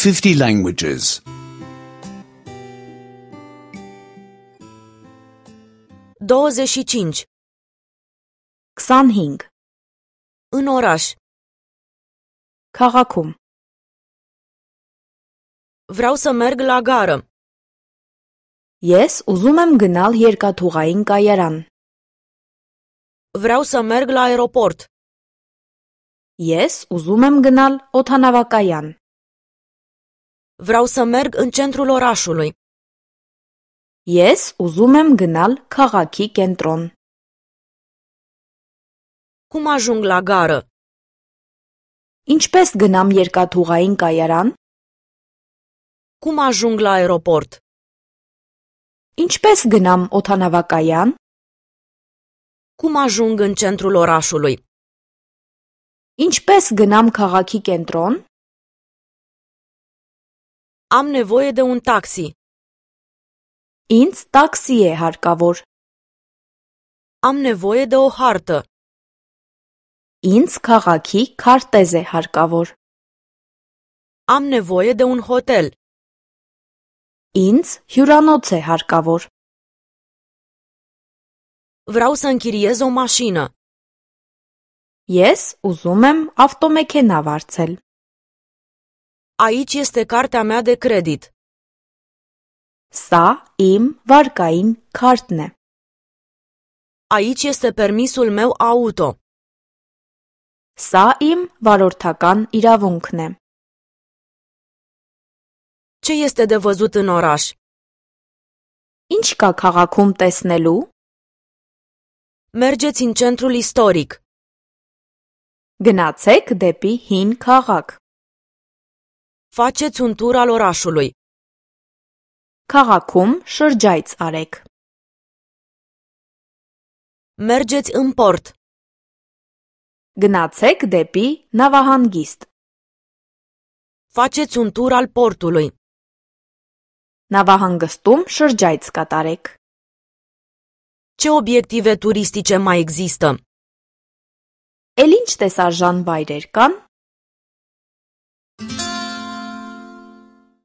50 languages. 25. 25. În oraș. Քաղաքում. Vreau să merg la gară. Ես ուզում եմ գնալ երկաթուղային կայարան. Vreau să merg la aeroport. Ես ուզում եմ գնալ օդանավակայան. Vreau să merg în centrul orașului. Ես ուզում եմ գնալ քաղաքի կենտրոն. Cum ajung la gară? Ինչպես գնամ երկաթուղային կայարան? Cum ajung la aeroport? Ինչպես գնամ օդանավակայան? Cum ajung în centrul orașului? Ինչպես գնամ քաղաքի կենտրոն? Am nevoie de un taxi. Ինձ տաքսի է հարկավոր. Am nevoie de o hartă. Ինձ քաղաքի քարտեզ է հարկավոր. Am nevoie de un hotel. Ինձ հյուրանոց է հարկավոր. Vreau să închiriez o mașină. Ես ուզում եմ ավտոմեքենա վարձել. Aici este cartea mea de credit. Սա իմ վարկային քարտն է. Aici este permisul meu auto. Սա իմ վարորդական իրավունքն է. Ce este de văzut în oraș? Ինչ կա քաղաքում տեսնելու? Mergeți în centrul istoric. Գնացեք դեպի հին քաղաք. Faceți un tur al orașului. Քաղաքում շրջայց արեք. Mergeți în port. Գնացեք դեպի նավահանգիստ. Faceți un tur al portului. Նավահանգստում շրջայց կատարեք. Ce obiective turistice mai există? Էլ ինչ տեսարժան վայրեր կան?